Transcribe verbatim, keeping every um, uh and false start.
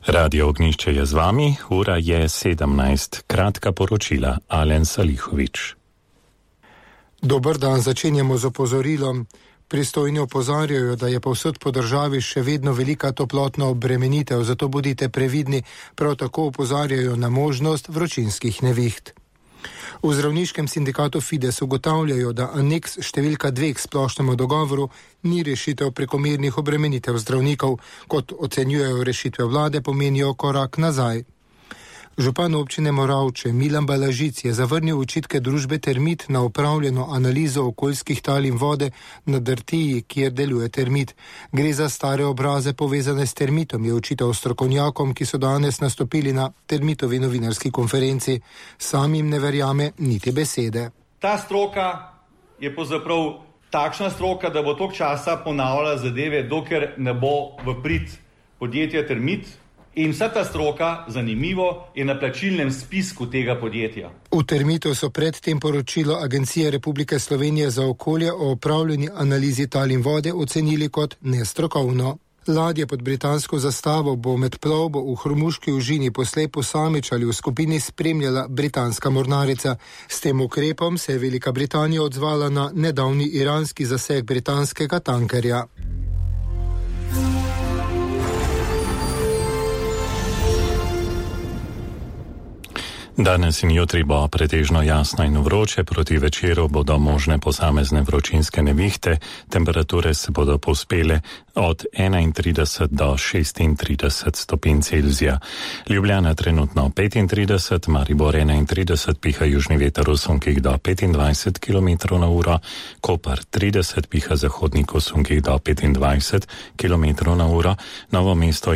Radio Ognjišče je z vami, ura je sedemnajst. Kratka poročila, Alen Salihovič. Dober dan, začenjamo z opozorilom. Pristojni opozarjajo, da je povsod po državi še vedno velika toplotna obremenitev, zato bodite previdni, prav tako opozarjajo na možnost vročinskih neviht. V zdravniškem sindikatu Fides ugotavljajo, da aneks številka dve k splošnemu dogovoru ni rešitev prekomernih obremenitev zdravnikov, kot ocenjujejo rešitve vlade, pomenijo korak nazaj. Župan občine Moravče Milan Balažic je zavrnil očitke družbe Termit na opravljeno analizo okoljskih tal in vode na Drtiji, kjer deluje Termit. Gre za stare obraze povezane s Termitom, je očital strokovnjakom, ki so danes nastopili na Termitovi novinarski konferenci. Sam jim ne verjame niti besede. Ta stroka je pravzaprav takšna stroka, da bo toliko časa ponavljala zadeve, dokler ne bo v prid podjetja Termit. In vsa ta stroka, zanimivo, je na plačilnem spisku tega podjetja. V Termitu so predtem poročilo Agencije Republike Slovenije za okolje o opravljeni analizi tal in vode ocenili kot nestrokovno. Ladja pod britansko zastavo bo med plovbo v Hormuški užini poslej posamič ali v skupini spremljala britanska mornarica. S tem ukrepom se je Velika Britanija odzvala na nedavni iranski zaseg britanskega tankerja. Danes in jutri bo pretežno jasno in vroče, proti večeru bodo možne posamezne vročinske nevihte, temperature se bodo povzpele od enaintrideset do šestintrideset stopinj Celzija. Ljubljana trenutno petintrideset, Maribor enaintrideset, piha južni veter v sunkih do petindvajset kilometrov na uro, Koper trideset, piha zahodnik v sunkih do petindvajset kilometrov na uro, Novo mesto